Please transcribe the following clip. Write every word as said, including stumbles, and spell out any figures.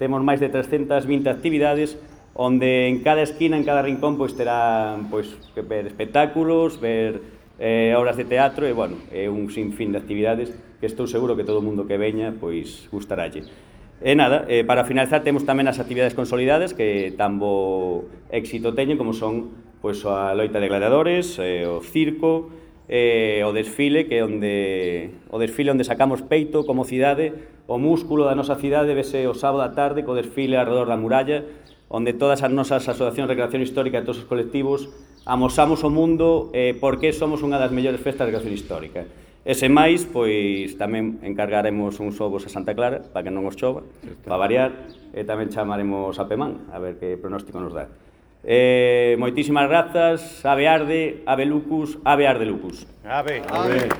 temos máis de trescentas vinte actividades, onde en cada esquina, en cada rincón, pois terán pois, ver espectáculos, ver eh, obras de teatro e, bueno, é un sinfín de actividades que estou seguro que todo o mundo que veña pois gustaralle. E nada, eh, para finalizar temos tamén as actividades consolidadas que tan bo éxito teñen como son pois, a loita de gladiadores, eh, o circo, eh, o desfile, que é onde, o desfile onde sacamos peito como cidade, o músculo da nosa cidade vese o sábado á tarde co desfile alrededor da muralla, onde todas as nosas asociacións de recreación histórica e todos os colectivos amosamos o mundo eh, porque somos unha das mellores festas de recreación histórica. E sen máis, pois tamén encargaremos uns ovos a Santa Clara para que non os chova, para variar, e tamén chamaremos a Pemán, a ver que pronóstico nos dá. Eh, moitísimas grazas, ave arde, ave lucus, ave arde lucus. Ave. Ave.